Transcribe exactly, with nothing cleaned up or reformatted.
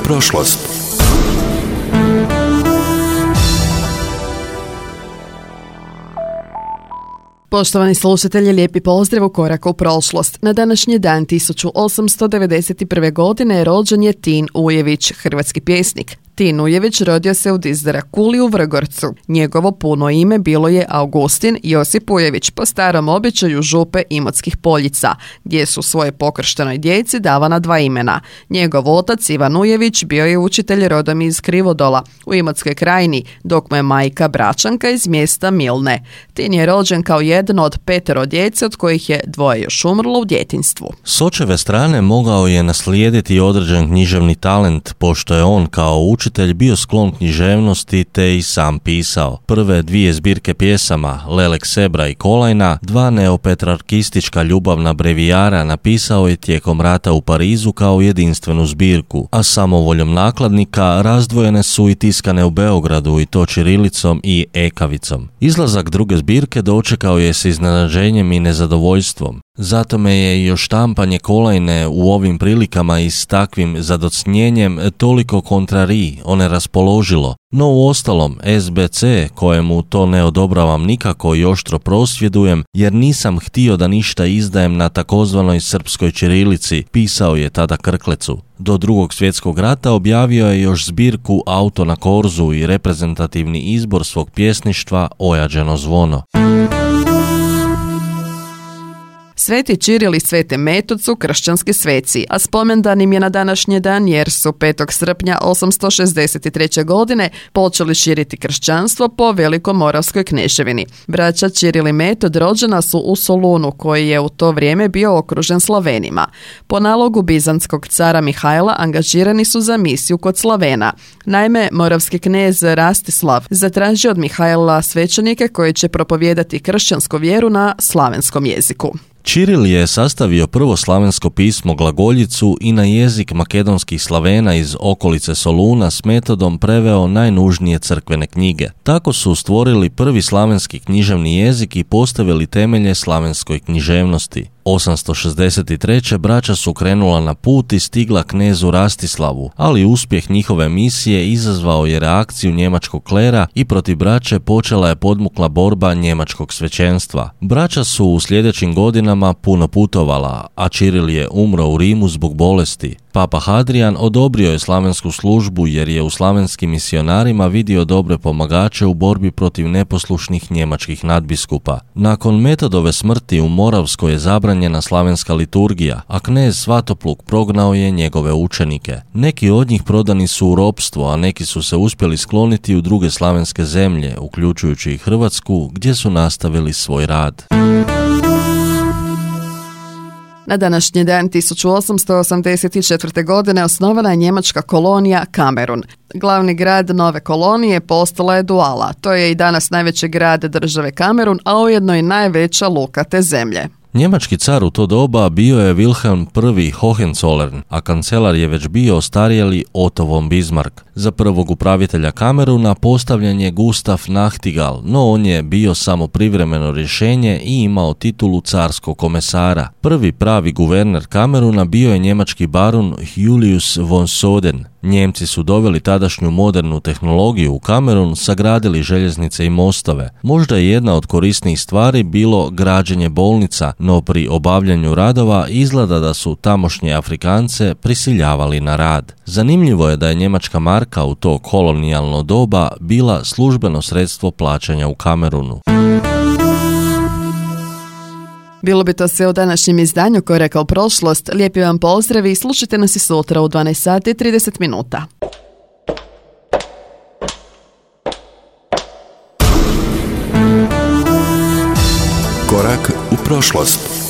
prošlost. Poštovani slušatelji, lijepi pozdrav u Koraku u prošlost. Na današnji dan tisuću osamsto devedeset prve. godine rođen je Tin Ujević, hrvatski pjesnik. Tin Ujević rodio se u Dizdara Kuli u Vrgorcu. Njegovo puno ime bilo je Augustin Josip Ujević, po starom običaju župe Imotskih Poljica, gdje su svoje pokrštenoj djeci davana dva imena. Njegov otac Ivan Ujević bio je učitelj rodom iz Krivodola u Imotskoj krajini, dok mu je majka Bračanka iz mjesta Milne. Tin je rođen kao jedan od petero djece, od kojih je dvoje još umrlo u djetinjstvu. S očeve strane mogao je naslijediti određen književni talent, pošto je on kao učitelj Učitelj bio sklon književnosti te i sam pisao. Prve dvije zbirke pjesama, Lelek Sebra i Kolajna, dva neopetrarkistička ljubavna brevijara, napisao je tijekom rata u Parizu kao jedinstvenu zbirku, a samovoljom nakladnika razdvojene su i tiskane u Beogradu, i to ćirilicom i ekavicom. Izlazak druge zbirke dočekao je s iznenađenjem i nezadovoljstvom. Zato me je i oštampanje Kolajne u ovim prilikama i s takvim zadocnjenjem toliko kontrari, one raspoložilo. No uostalom, S B C, kojemu to ne odobravam nikako i oštro prosvjedujem, jer nisam htio da ništa izdajem na takozvanoj srpskoj ćirilici, pisao je tada Krklecu. Do drugog svjetskog rata objavio je još zbirku Auto na korzu i reprezentativni izbor svog pjesništva Ojađeno zvono. Sveti Čiril i Svete Metod su kršćanski sveci, a spomendan im je na današnji dan jer su petog srpnja osamsto šezdeset treće. godine počeli širiti kršćanstvo po Velikomoravskoj kneževini. Braća Čiril i Metod rođena su u Solunu, koji je u to vrijeme bio okružen Slavenima. Po nalogu bizantskog cara Mihajla angažirani su za misiju kod Slavena. Naime, moravski knez Rastislav zatražio od Mihajla svećenike koji će propovijedati kršćansku vjeru na slavenskom jeziku. Čiril je sastavio prvo slavensko pismo glagoljicu i na jezik makedonskih Slavena iz okolice Soluna s Metodom preveo najnužnije crkvene knjige. Tako su stvorili prvi slavenski književni jezik i postavili temelje slavenskoj književnosti. osamsto šezdeset treće. braća su krenula na put i stigla knezu Rastislavu, ali uspjeh njihove misije izazvao je reakciju njemačkog klera i protiv braće počela je podmukla borba njemačkog svećenstva. Braća su u sljedećim godinama puno putovala, a Čiril je umro u Rimu zbog bolesti. Papa Hadrian odobrio je slavensku službu jer je u slavenskim misionarima vidio dobre pomagače u borbi protiv neposlušnih njemačkih nadbiskupa. Nakon Metodove smrti u Moravskoj je zabranjena slavenska liturgija, a knez Svatopluk prognao je njegove učenike. Neki od njih prodani su u ropstvo, a neki su se uspjeli skloniti u druge slavenske zemlje, uključujući i Hrvatsku, gdje su nastavili svoj rad. Na današnji dan tisuću osamsto osamdeset četvrte. godine osnovana je njemačka kolonija Kamerun. Glavni grad nove kolonije postala je Duala. To je i danas najveći grad države Kamerun, a ujedno i najveća luka te zemlje. Njemački car u to doba bio je Wilhelm I. Hohenzollern, a kancelar je već bio ostarjeli Otto von Bismarck. Za prvog upravitelja Kameruna postavljen je Gustav Nachtigal, no on je bio samo privremeno rješenje i imao titulu carskog komesara. Prvi pravi guverner Kameruna bio je njemački barun Julius von Soden. Njemci su doveli tadašnju modernu tehnologiju u Kamerun, sagradili željeznice i mostove. Možda je jedna od korisnijih stvari bilo građenje bolnica, no pri obavljanju radova izgleda da su tamošnje Afrikance prisiljavali na rad. Zanimljivo je da je njemačka marka u to kolonijalno doba bila službeno sredstvo plaćanja u Kamerunu. Bilo bi to sve u današnjem izdanju Koraka u prošlost. Lijepi vam pozdrav i slušajte nas i sutra u dvanaest sati i trideset minuta. Korak u prošlost.